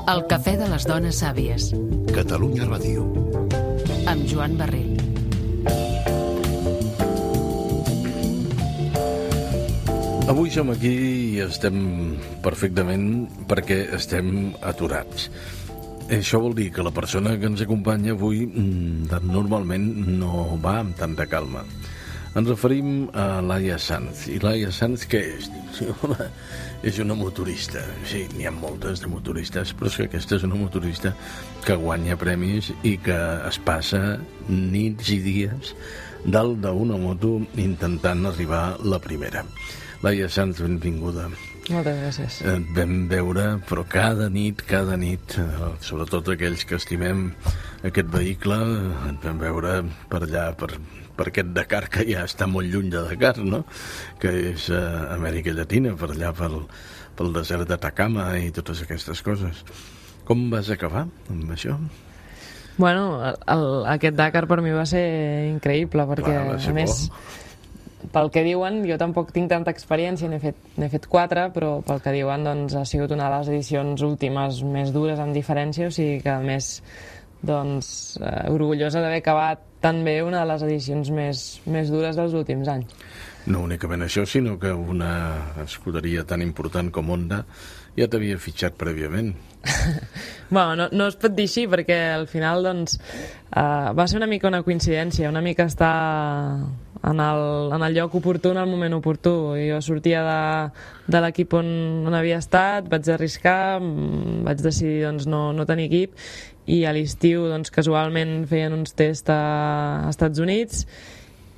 El cafè de les dones sàvies. Catalunya Ràdio. Amb Joan Barril. Avui som aquí i estem perfectament perquè estem aturats. Això vol dir que la persona que ens acompanya avui normalment no va amb tanta calma. Ens referim a Laia Sanz. I Laia Sanz què és? És una motorista. Sí, n'hi ha moltes de motoristes, però és que aquesta és una motorista que guanya premis i que es passa nits i dies dalt d'una moto intentant arribar a la primera. Laia Sanz, benvinguda. Moltes gràcies. Et vam veure, però cada nit, sobretot aquells que estimem aquest vehicle, et vam veure per allà, per aquest Dakar, que ja està molt lluny de Dakar, no? Que és Amèrica Llatina, per allà pel desert d'Atacama i totes aquestes coses. Com vas acabar amb això? Bueno, aquest Dakar per mi va ser increïble, perquè a més, pel que diuen, jo tampoc tinc tanta experiència, n'he fet 4, però pel que diuen doncs, ha sigut una de les edicions últimes més dures amb diferència, o sigui que a més doncs, orgullosa d'haver acabat tan bé una de les edicions més dures dels últims anys. No únicament això, sinó que una escuderia tan important com Honda ja t'havia fitxat prèviament. Bueno, no es pot dir així, perquè al final doncs, va ser una mica una coincidència, una mica estar en el lloc oportú, en el moment oportú. Jo sortia de l'equip on havia estat, vaig arriscar, vaig decidir doncs, no tenir equip, i a l'estiu doncs, casualment feien uns tests a Estats Units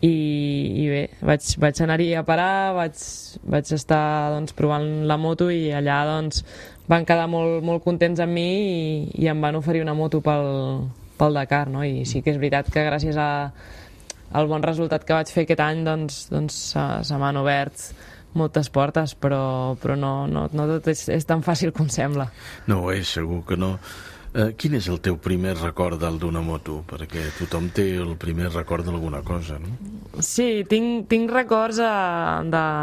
i bé, vaig anar-hi a parar, vaig estar doncs, provant la moto i allà doncs, van quedar molt contents amb mi i em van oferir una moto pel Dakar, no? I sí que és veritat que gràcies al bon resultat que vaig fer aquest any doncs se m'han obert moltes portes, però no tot és tan fàcil com sembla. No ho és, segur que no. Quin és el teu primer record d'una moto? Perquè tothom té el primer record d'alguna cosa, no? Sí, tinc records el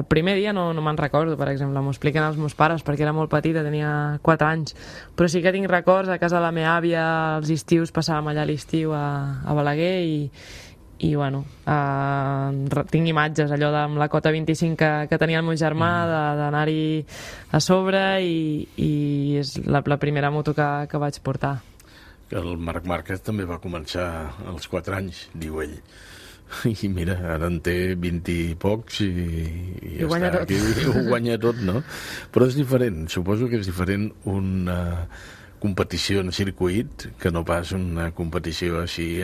primer dia no me'n recordo, per exemple, m'ho expliquen els meus pares perquè era molt petita, tenia 4 anys, però sí que tinc records a casa de la meva àvia, els estius, passàvem allà a l'estiu a Balaguer i bueno, tinc imatges allò amb la cota 25 que tenia el meu germà, d'anar-hi a sobre i és la primera moto que vaig portar. El Marc Márquez també va començar als 4 anys, diu ell. I mira, ara en té 20 i pocs i ho guanya tot. Ho guanya tot, no? Però és diferent, suposo que és diferent una competició en circuit que no pas una competició així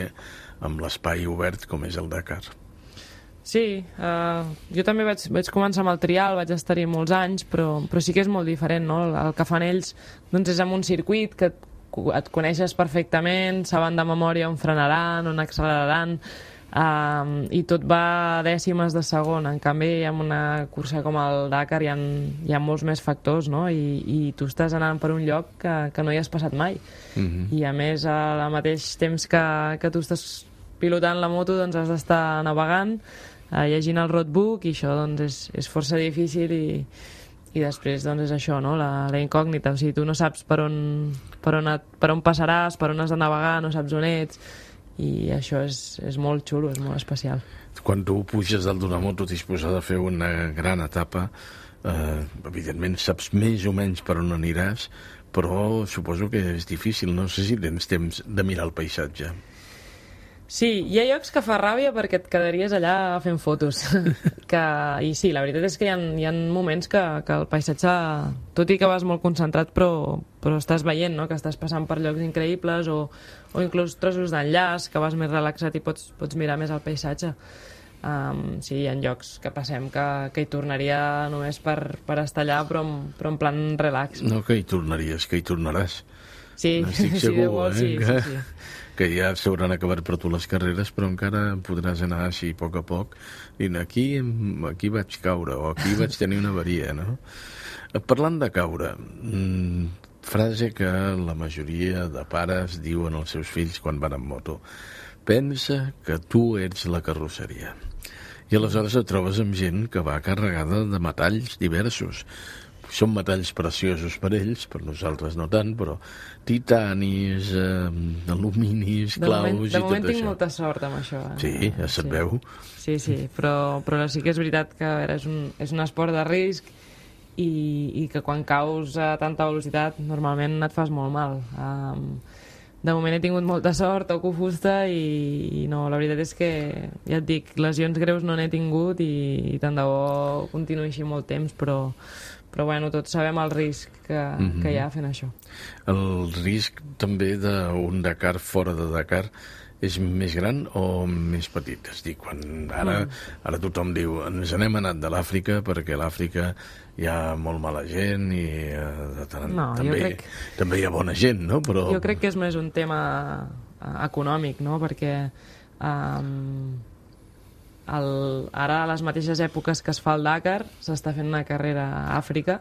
amb l'espai obert com és el Dakar. Sí, jo també vaig començar amb el trial, vaig estar-hi molts anys, però sí que és molt diferent, no? El que fan ells doncs és amb un circuit que et coneixes perfectament, saben de memòria on frenaran, on acceleraran, i tot va a dècimes de segon. En canvi, amb una cursa com el Dakar hi ha molts més factors, no? I tu estàs anant per un lloc que no hi has passat mai. I a més, al mateix temps que tu estàs pilotant la moto, doncs has d'estar navegant, llegint el roadbook, i això doncs, és força difícil i després doncs, és això, no? La incògnita. O sigui, tu no saps per on passaràs, per on has de navegar, no saps on ets, i això és molt xulo, és molt especial. Quan tu puges dalt d'una moto disposada a fer una gran etapa, evidentment saps més o menys per on aniràs, però suposo que és difícil, no sé si tens temps de mirar el paisatge. Sí, hi ha llocs que fa ràbia perquè et quedaries allà fent fotos. I sí, la veritat és que hi ha moments que el paisatge, tot i que vas molt concentrat, però estàs veient, no? Que estàs passant per llocs increïbles o inclús trossos d'enllaç, que vas més relaxat i pots mirar més el paisatge. Sí, hi ha llocs que passem que hi tornaria només per estar allà, però en plan relax. No, que hi tornaries, que hi tornaràs. Sí, estic segur, sí. Que ja s'hauran acabat per tu les carreres, però encara podràs anar així a poc, dient aquí vaig caure, o aquí vaig tenir una avaria, no? Parlant de caure, frase que la majoria de pares diuen als seus fills quan van en moto: pensa que tu ets la carrosseria. I aleshores et trobes amb gent que va carregada de metalls diversos, són metalls preciosos per ells, per nosaltres no tant, però titanis, aluminis, claus i tot això. De moment tinc molta sort amb això. Sí, ja se't veu. Sí, però sí que és veritat que a veure, és un esport de risc i que quan caus a tanta velocitat normalment et fas molt mal. De moment he tingut molta sort, toco fusta i no, la veritat és que, ja et dic, lesions greus no n'he tingut i tant de bo continuï així molt temps, però bueno, tots sabem el risc que hi ha fent això. El risc també d'un Dakar fora de Dakar és més gran o més petit? És dir, ara tothom diu ens n'hem anat de l'Àfrica perquè a l'Àfrica hi ha molt mala gent i també hi ha bona gent, no? Però... Jo crec que és més un tema econòmic, no? Perquè ara a les mateixes èpoques que es fa el Dakar s'està fent una carrera a Àfrica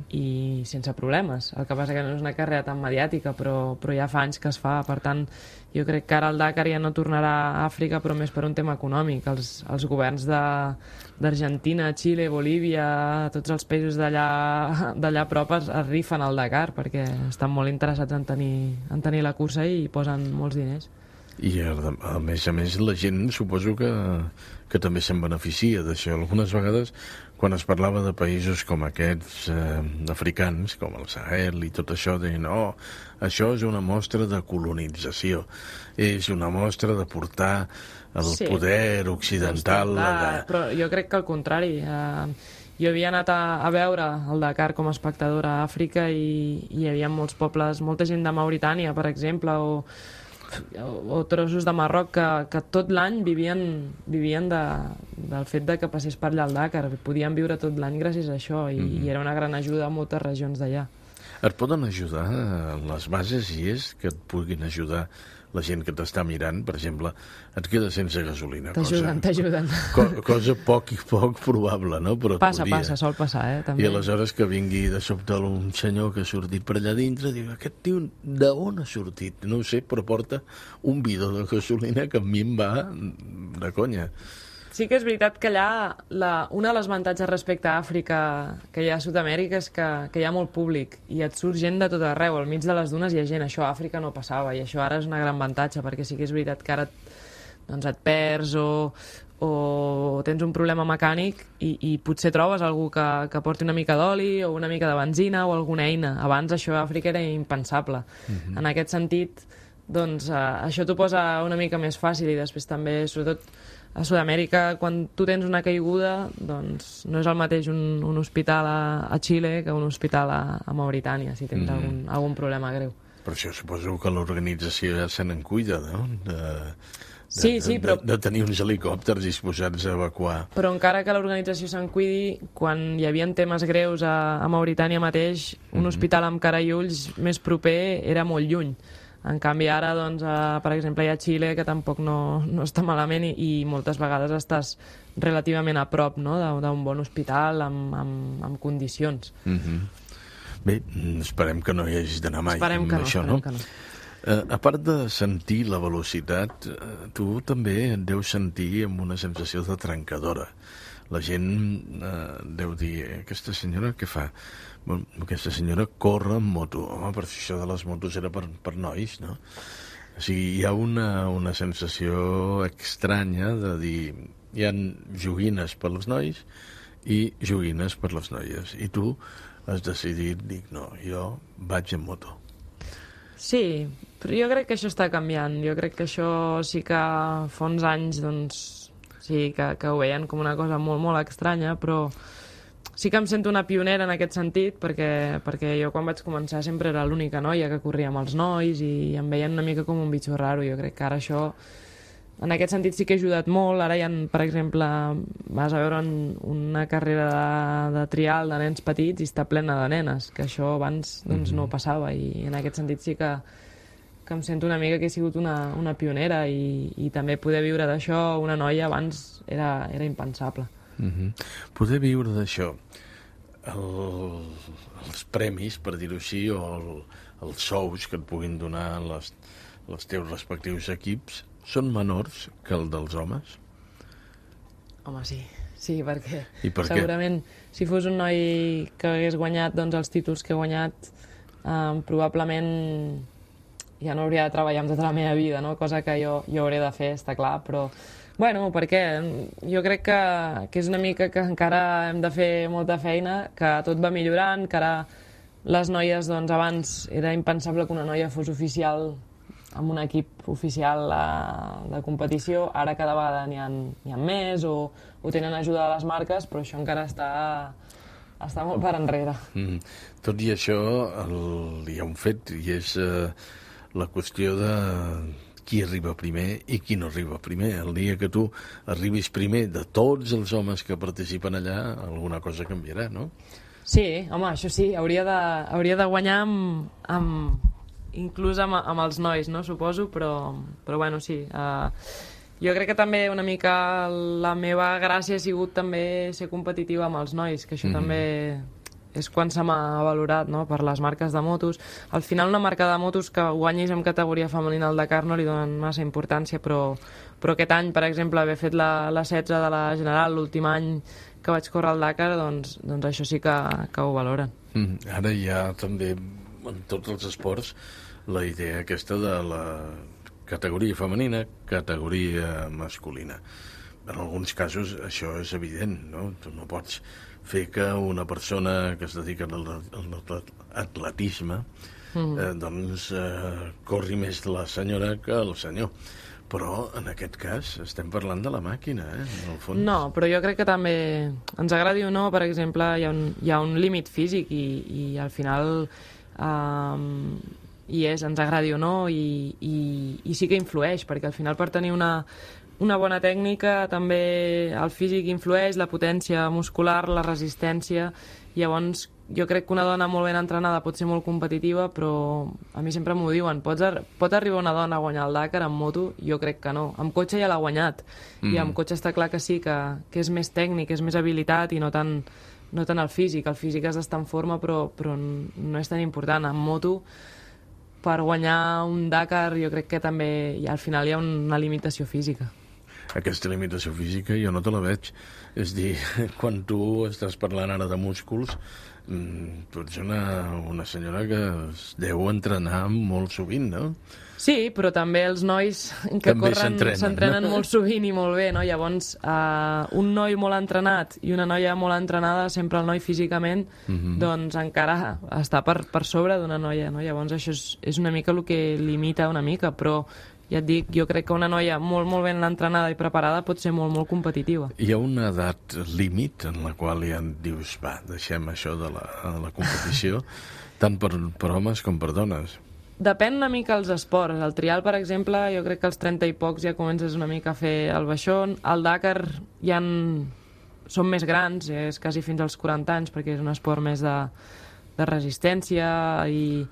i sense problemes. El que passa que no és una carrera tan mediàtica, però ja fa anys que es fa. Per tant, jo crec que ara el Dakar ja no tornarà a Àfrica, però més per un tema econòmic. Els governs d'Argentina, Xile, Bolívia, tots els països d'allà a prop es rifen al Dakar perquè estan molt interessats en tenir la cursa i hi posen molts diners. I a més la gent suposo que també se'n beneficia d'això. Algunes vegades quan es parlava de països com aquests africans, com el Sahel i tot això, deien, això és una mostra de colonització, és una mostra de portar el poder occidental allà. Però jo crec que al contrari. Jo havia anat a veure el Dakar com a espectadora a Àfrica i hi havia molts pobles, molta gent de Mauritània, per exemple, o trossos de Marroc que tot l'any vivien del fet de que passés per allà el Dakar. Podien viure tot l'any gràcies a això i era una gran ajuda a moltes regions d'allà. Et poden ajudar les bases i és que et puguin ajudar la gent que t'està mirant, per exemple, et queda sense gasolina. T'ajuden. Cosa poc probable, no? Però passa, sol passar, també. I aleshores que vingui de sobte un senyor que ha sortit per allà dintre, diu, aquest tio d'on ha sortit? No ho sé, però porta un bidó de gasolina que a mi em va de conya. Sí que és veritat que allà un dels avantatges respecte a Àfrica que hi ha a Sud-amèrica és que hi ha molt públic i et surt gent de tot arreu. Al mig de les dunes hi ha gent. Això a Àfrica no passava i això ara és una gran avantatge perquè sí que és veritat que ara et perds o tens un problema mecànic i potser trobes algú que porti una mica d'oli o una mica de benzina o alguna eina. Abans això a Àfrica era impensable. En aquest sentit, doncs, això t'ho posa una mica més fàcil i després també, sobretot, a Sud-amèrica, quan tu tens una caiguda, doncs no és el mateix un hospital a Xile que un hospital a Mauritània, si tens algun problema greu. Per això suposo que l'organització ja se n'en cuida, no? Però... de tenir uns helicòpters disposats a evacuar. Però encara que l'organització se'n cuidi, quan hi havia temes greus a Mauritània mateix, un hospital amb cara i ulls més proper era molt lluny. En canvi, ara, doncs, per exemple, hi ha Xile, que tampoc no està malament i moltes vegades estàs relativament a prop, no?, d'un bon hospital amb condicions. Bé, esperem que no hi hagis d'anar mai amb això, no? Que no. A part de sentir la velocitat, tu també et deus sentir amb una sensació de trencadora. La gent deu dir, aquesta senyora què fa? Bueno, aquesta senyora corre amb moto. Home, per això de les motos era per nois, no? O sigui, hi ha una sensació estranya de dir hi ha joguines per als nois i joguines per les noies. I tu has decidit, dic, no, jo vaig en moto. Sí, però jo crec que això està canviant. Jo crec que això sí que fa uns anys, doncs, sí que ho veien com una cosa molt, molt estranya, però sí que em sento una pionera en aquest sentit, perquè jo quan vaig començar sempre era l'única noia que corria amb els nois i em veien una mica com un bitxo raro. Jo crec que ara això, en aquest sentit, sí que ha ajudat molt. Ara hi ha, per exemple, vas a veure una carrera de trial de nens petits i està plena de nenes, que això abans doncs, no passava, i en aquest sentit sí que em sento una mica que he sigut una pionera i també poder viure d'això, una noia, abans era impensable. Poder viure d'això, els premis, per dir-ho així, o els sous que et puguin donar els teus respectius equips, són menors que el dels homes? Home, sí. sí, perquè I per què? segurament si fos un noi que hagués guanyat doncs, els títols que he guanyat, probablement ja no hauria de treballar amb tota la meva vida, no? Cosa que jo hauré de fer, està clar, però bueno, per què? Jo crec que és una mica que encara hem de fer molta feina, que tot va millorant, que ara les noies, doncs abans era impensable que una noia fos oficial amb un equip oficial de competició, ara cada vegada n'hi ha més o tenen ajuda de les marques, però això encara està molt per enrere. Tot i això, hi ha un fet, i és la qüestió de qui arriba primer i qui no arriba primer. El dia que tu arribis primer de tots els homes que participen allà, alguna cosa canviarà, no? Sí, home, això sí, hauria de guanyar inclús amb els nois, no? Suposo, però bueno, sí. Jo crec que també una mica la meva gràcia ha sigut també ser competitiva amb els nois, que això també és quan se m'ha valorat, no? Per les marques de motos. Al final una marca de motos que guanyis en categoria femenina al Dakar no li donen massa importància, però aquest any, per exemple, haver fet la 16 de la General, l'últim any que vaig córrer al Dakar, doncs això sí que ho valoren. Ara hi ha també, en tots els esports, la idea aquesta de la categoria femenina, categoria masculina. En alguns casos això és evident, no? Tu no pots fer que una persona que es dedica a l'atletisme corri més la senyora que el senyor. Però en aquest cas estem parlant de la màquina, en el fons. No, però jo crec que també ens agradi o no, per exemple, hi ha un límit físic i al final ens agradi o no i sí que influeix, perquè al final per tenir una bona tècnica també el físic influeix, la potència muscular, la resistència. Llavors jo crec que una dona molt ben entrenada pot ser molt competitiva, però a mi sempre m'ho diuen, pot arribar una dona a guanyar el Dakar amb moto? Jo crec que no. Amb cotxe ja l'ha guanyat, i amb cotxe està clar que sí, que és més tècnic, és més habilitat i no tant el físic. El físic has d'estar en forma, però no és tan important. Amb moto, per guanyar un Dakar, jo crec que també al final hi ha una limitació física. Aquesta limitació física jo no te la veig. És dir, quan tu estàs parlant ara de músculs, tu ets una senyora que es deu entrenar molt sovint, no? Sí, però també els nois que també corren s'entrenen molt sovint i molt bé, no? Llavors, un noi molt entrenat i una noia molt entrenada, sempre el noi físicament, doncs encara està per sobre d'una noia, no? Llavors això és una mica el que limita una mica, però ja et dic, jo crec que una noia molt, molt ben entrenada i preparada pot ser molt, molt competitiva. Hi ha una edat límit en la qual ja dius, va, deixem això de la competició, tant per homes com per dones. Depèn una mica els esports. El trial, per exemple, jo crec que als 30 i pocs ja comences una mica a fer el baixón. Al Dakar són més grans, és quasi fins als 40 anys, perquè és un esport més de resistència, i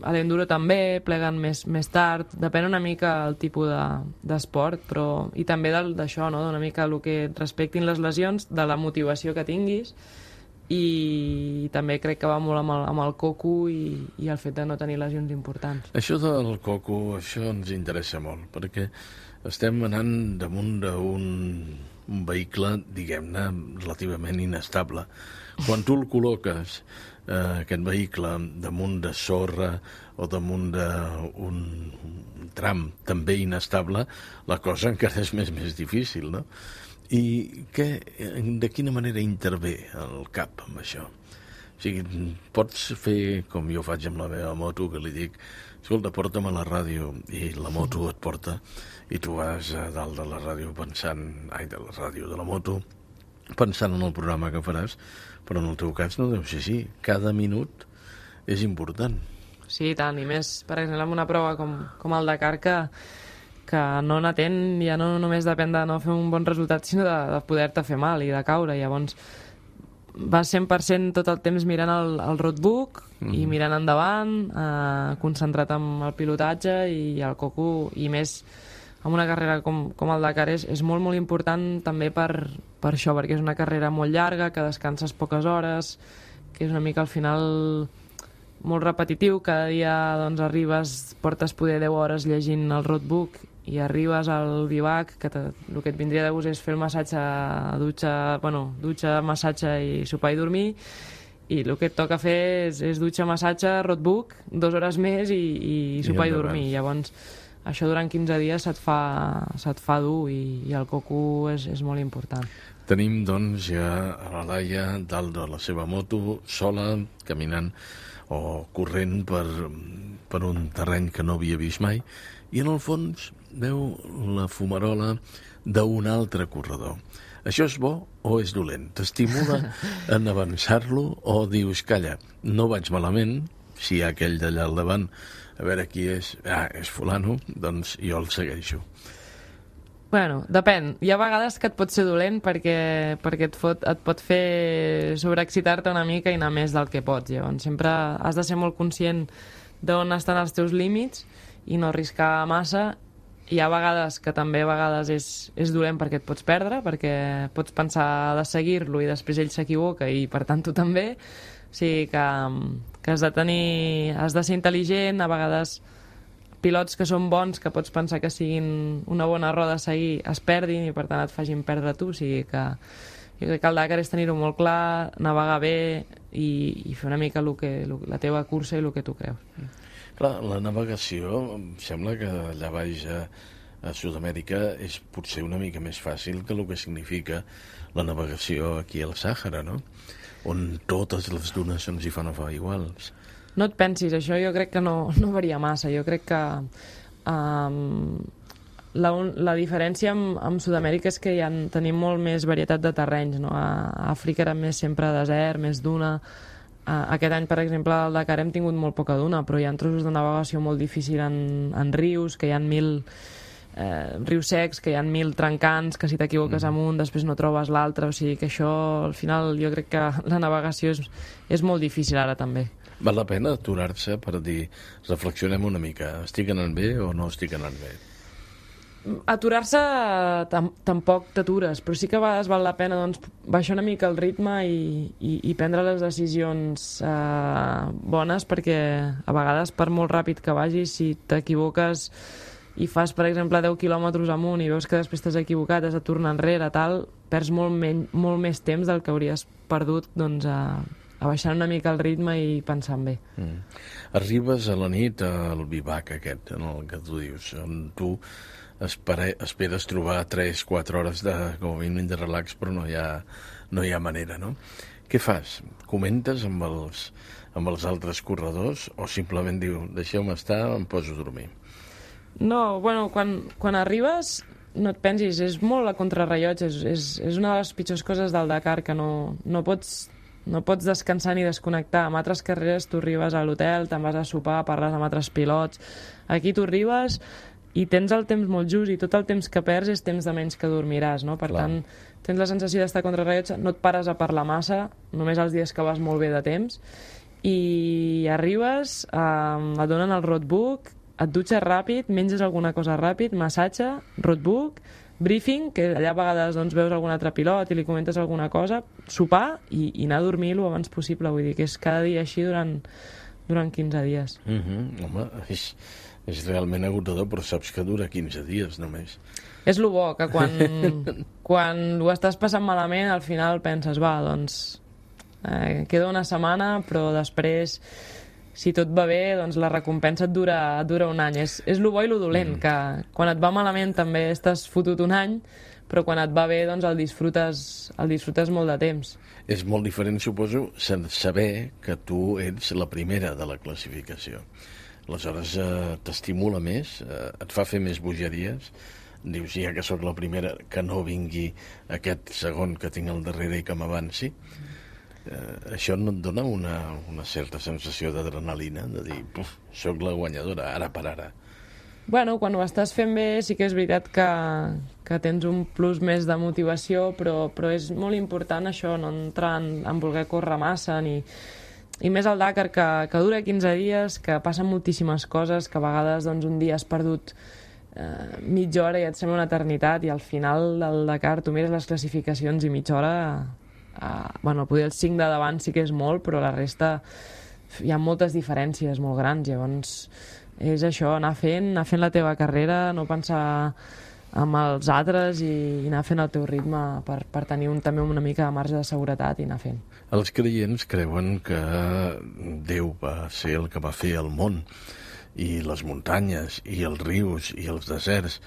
a l'enduro també, pleguen més tard. Depèn una mica el tipus d'esport, però i també d'això, no? Una mica el que respectin les lesions, de la motivació que tinguis, i també crec que va molt amb el coco i el fet de no tenir lesions importants. Això del coco, això ens interessa molt, perquè estem anant damunt d'un vehicle, diguem-ne, relativament inestable. Quan tu el col·loques, aquest vehicle, damunt de sorra o damunt d'un tram també inestable, la cosa encara és més difícil, no? I de quina manera intervé el cap amb això? O sigui, pots fer com jo faig amb la meva moto, que li dic, escolta, porta'm a la ràdio, i la moto et porta, i tu vas a dalt de la ràdio de la moto, pensant en el programa que faràs, però en el teu cas no deu ser així. Cada minut és important. Sí, tant, i més, per exemple, en una prova com el Dakar, que no n'atén, ja no només depèn de no fer un bon resultat, sinó de poder-te fer mal i de caure. Llavors vas 100% tot el temps mirant el roadbook i mirant endavant, concentrat en el pilotatge i el coco, i més en una carrera com el Dakar és molt, molt important també per això, perquè és una carrera molt llarga, que descanses poques hores, que és una mica al final molt repetitiu. Cada dia doncs, arribes, portes poder 10 hores llegint el roadbook i arribes al bivac, que el que et vindria de gust és fer el massatge, dutxa, massatge i sopar i dormir, i el que et toca fer és dutxa, massatge, roadbook, 2 hores més i sopar i dormir. Llavors, això durant 15 dies se't fa dur i el coco és molt important. Tenim, doncs, ja a la Laia dalt de la seva moto, sola, caminant o corrent per un terreny que no havia vist mai, i en el fons veu la fumarola d'un altre corredor. Això és bo o és dolent? T'estimula en avançar-lo o dius, calla, no vaig malament, si hi ha aquell d'allà al davant, a veure qui és, és fulano, doncs jo el segueixo. Bueno, depèn. Hi ha vegades que et pot ser dolent perquè et pot fer sobreexcitar-te una mica i anar més del que pots. Llavors, sempre has de ser molt conscient d'on estan els teus límits i no arriscar massa. Hi ha vegades que també és dolent perquè et pots perdre, perquè pots pensar de seguir-lo i després ell s'equivoca i per tant tu també. O sigui que has de ser intel·ligent, a vegades pilots que són bons, que pots pensar que siguin una bona roda a seguir, es perdin i per tant et facin perdre tu. O sigui que jo crec que el Dakar és tenir-ho molt clar, navegar bé i fer una mica la teva cursa i el que tu creus. Clar, la navegació, em sembla que allà baix a Sud-amèrica és potser una mica més fàcil que el que significa la navegació aquí al Sàhara, no? On totes les dunes se'ns hi fan iguals. No et pensis, això jo crec que no varia massa. Jo crec que la diferència amb Sud-amèrica és que tenim molt més varietat de terrenys, no? A Àfrica era més sempre desert, més duna. Aquest any, per exemple, al Dakar hem tingut molt poca duna, però hi ha trossos de navegació molt difícil en rius, que hi ha 1.000 rius secs, que hi ha 1.000 trencants, que si t'equivoques amb un després no trobes l'altre. O sigui que això, al final, jo crec que la navegació és molt difícil ara també. Val la pena aturar-se per dir, reflexionem una mica, estic anant bé o no estic anant bé? Aturar-se tampoc t'atures, però sí que a vegades val la pena baixar una mica el ritme i prendre les decisions bones, perquè a vegades per molt ràpid que vagis, si t'equivoques i fas, per exemple, 10 quilòmetres amunt i veus que després t'has equivocat, has de tornar enrere, perds molt més temps del que hauries perdut a baixar una mica el ritme i pensant bé. Arribes a la nit al bivac aquest, en el que tu dius, on tu esperes trobar 3-4 hores com a mínim de relax, però no hi ha manera, no? Què fas? Comentes amb els altres corredors o simplement diu, deixeu-me estar, em poso a dormir? No, bueno, quan arribes no et pensis, és molt a contrarrellotge, és una de les pitjors coses del Dakar, que no pots descansar ni desconnectar. En altres carreres tu arribes a l'hotel, te'n vas a sopar, parles amb altres pilots. Aquí tu arribes i tens el temps molt just i tot el temps que perds és temps de menys que dormiràs, no? Per tant, tens la sensació d'estar contra rellotge, no et pares a parlar massa, només els dies que vas molt bé de temps, i arribes, et donen el roadbook, et dutxes ràpid, menges alguna cosa ràpid, massatge, roadbook, briefing, que allà a vegades veus algun altre pilot i li comentes alguna cosa, sopar i anar a dormir el abans possible. Vull dir que és cada dia així durant 15 dies. Home, és realment agotador, però saps que dura 15 dies només. És el bo, que quan ho estàs passant malament, al final penses, queda una setmana, però després, si tot va bé, la recompensa et dura un any. És el bo i el dolent, que quan et va malament també estàs fotut un any, però quan et va bé el disfrutes molt de temps. És molt diferent, suposo, saber que tu ets la primera de la classificació. Aleshores t'estimula més, et fa fer més bogeries, dius, ja que sóc la primera, que no vingui aquest segon que tinc al darrere i que m'avanci. Això no et dona una certa sensació d'adrenalina, de dir, sóc la guanyadora, ara per ara. Bueno, quan ho estàs fent bé sí que és veritat que tens un plus més de motivació, però és molt important això, no entrar en voler córrer massa, i més al Dakar, que dura 15 dies, que passen moltíssimes coses, que a vegades un dia has perdut mitja hora i et sembla una eternitat, i al final del Dakar tu mires les classificacions i mitja hora... Potser el 5 de davant sí que és molt, però la resta hi ha moltes diferències molt grans, llavors és això, anar fent la teva carrera, no pensar amb els altres i anar fent el teu ritme per tenir també una mica de marge de seguretat i anar fent. Els creients creuen que Déu va ser el que va fer el món i les muntanyes i els rius i els deserts.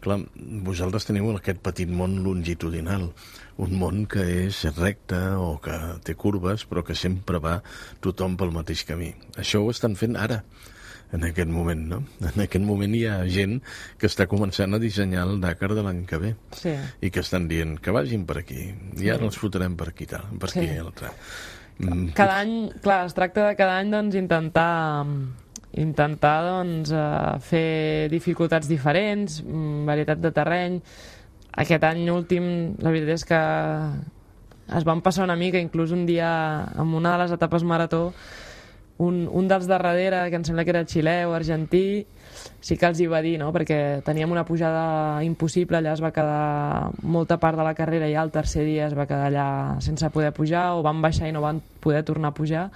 Clar, vosaltres teniu aquest petit món longitudinal, un món que és recte o que té curves, però que sempre va tothom pel mateix camí. Això ho estan fent ara, en aquest moment, no? En aquest moment hi ha gent que està començant a dissenyar el Dakar de l'any que ve. Sí. I que estan dient que vagin per aquí, i ara els fotrem per aquí, tal, per aquí, l'altre. Cada any, clar, es tracta de cada any doncs, intentar doncs, fer dificultats diferents, varietat de terreny. Aquest any últim, la veritat és que es van passar una mica, inclús un dia, en una de les etapes marató, un dels de darrere, que em sembla que era xilè o argentí, sí que els hi va dir, no? Perquè teníem una pujada impossible, allà es va quedar molta part de la carrera i el tercer dia es va quedar allà sense poder pujar, o van baixar i no van poder tornar a pujar.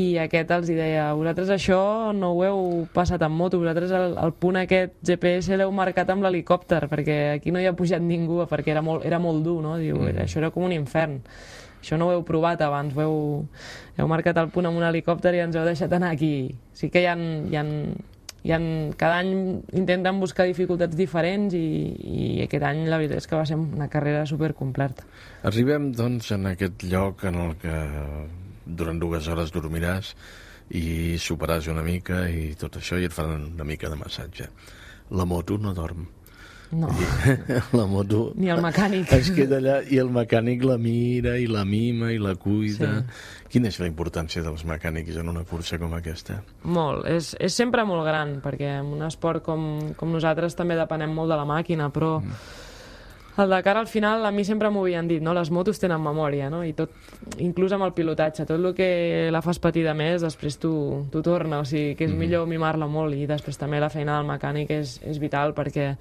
I aquest els deia, vosaltres això no ho heu passat en moto, vosaltres el punt aquest GPS l'heu marcat amb l'helicòpter, perquè aquí no hi ha pujat ningú, perquè era molt dur, no? Diu, això era com un infern. Això no ho heu provat abans, heu marcat el punt amb un helicòpter i ens heu deixat anar aquí. Sí que cada any intenten buscar dificultats diferents i aquest any la veritat és que va ser una carrera supercompleta. Arribem, doncs, en aquest lloc en el que durant 2 hores dormiràs i soparàs una mica i tot això i et faran una mica de massatge. La moto no dorm. No. La moto... Ni el mecànic. Es queda allà i el mecànic la mira i la mima i la cuida. Sí. Quina és la importància dels mecànics en una cursa com aquesta? Molt. És sempre molt gran, perquè en un esport com nosaltres també depenem molt de la màquina, però... El Dakar, al final, a mi sempre m'ho havien dit, no? Les motos tenen memòria, no? I tot, inclús amb el pilotatge, tot el que la fas patir de més, després tu torna, o sigui, que és millor mimar-la molt, i després també la feina del mecànic és vital, perquè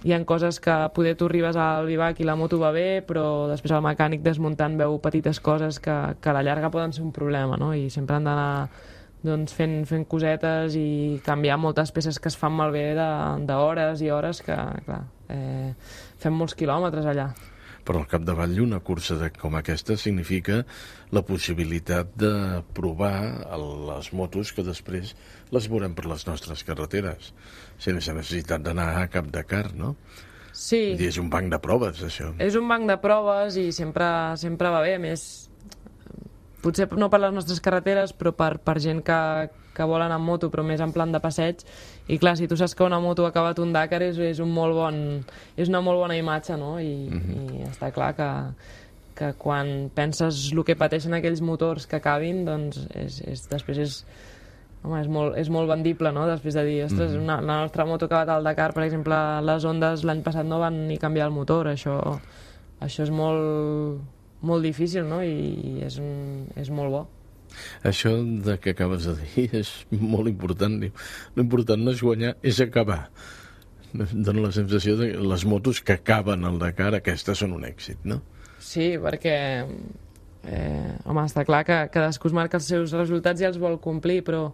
hi ha coses que poder tu arribes al bivac i la moto va bé, però després el mecànic desmuntant veu petites coses que a la llarga poden ser un problema, no? I sempre han d'anar doncs, fent cosetes i canviar moltes peces que es fan malbé d'hores i hores que, clar, fem molts quilòmetres allà. Però al capdavall una cursa com aquesta significa la possibilitat de provar les motos que després les veurem per les nostres carreteres, sense necessitat d'anar a cap Dakar, no? Sí. És un banc de proves, això. És un banc de proves i sempre va bé, a més, potser no per les nostres carreteres, però per gent que vol anar amb moto, però més en plan de passeig. I clar, si tu saps que una moto ha acabat un Dakar és una molt bona imatge, no? I està clar que quan penses el que pateixen aquells motors que acabin, doncs després és molt vendible, no? Després de dir, ostres, la nostra moto ha acabat al Dakar, per exemple, les Hondes l'any passat no van ni canviar el motor, això és molt difícil, no? I és molt bo. Això que acabes de dir és molt important. L'important no és guanyar, és acabar. Dóna la sensació que les motos que acaben al Dakar, aquestes són un èxit, no? Sí, perquè home, està clar que cadascú es marca els seus resultats i els vol complir, però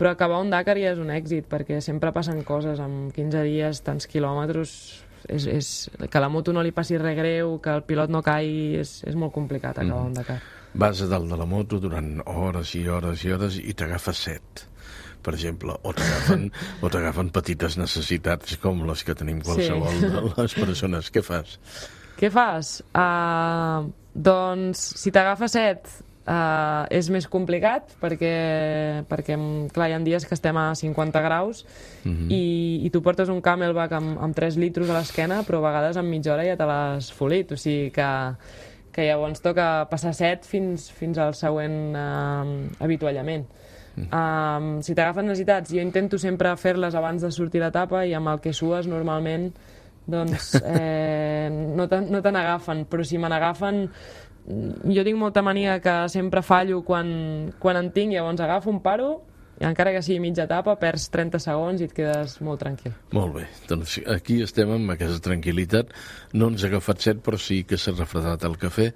acabar un Dakar ja és un èxit, perquè sempre passen coses. En 15 dies, tants quilòmetres, que la moto no li passi res greu, que el pilot no caigui, és molt complicat acabar un Dakar. Vas a dalt de la moto durant hores i hores i hores i t'agafes set, per exemple, o t'agafen petites necessitats com les que tenim qualsevol de les persones. Què fas? Què fas? Doncs, si t'agafa set, és més complicat, perquè clar, hi ha dies que estem a 50 graus i tu portes un Camelback amb 3 litros a l'esquena, però a vegades en mitja hora ja te l'has folit, o sigui que llavors toca passar set fins al següent avituallament. Si t'agafen necessitats, jo intento sempre fer-les abans de sortir l'etapa i amb el que sues normalment doncs no te n'agafen, però si me n'agafen jo tinc molta mania que sempre fallo quan en tinc, llavors agafo un paro i encara que sigui mitja etapa perds 30 segons i et quedes molt tranquil. Molt bé, doncs aquí estem amb aquesta tranquil·litat. No ens ha agafat set, però sí que s'ha refredat el cafè,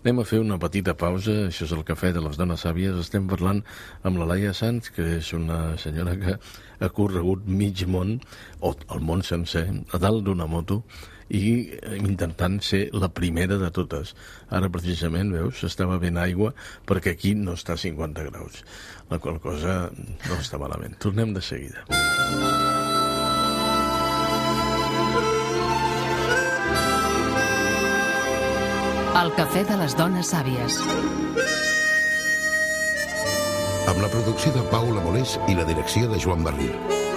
Anem a fer una petita pausa. Això és el Cafè de les Dones Sàvies. Estem parlant amb la Laia Sanz, que és una senyora que ha corregut mig món, o el món sencer, a dalt d'una moto, i intentant ser la primera de totes. Ara, precisament, veus, estava ben aigua perquè aquí no està a 50 graus. La qual cosa no està malament. Tornem de seguida. El Cafè de les Dones Sàvies. Amb la producció de Paula Molés i la direcció de Joan Barril.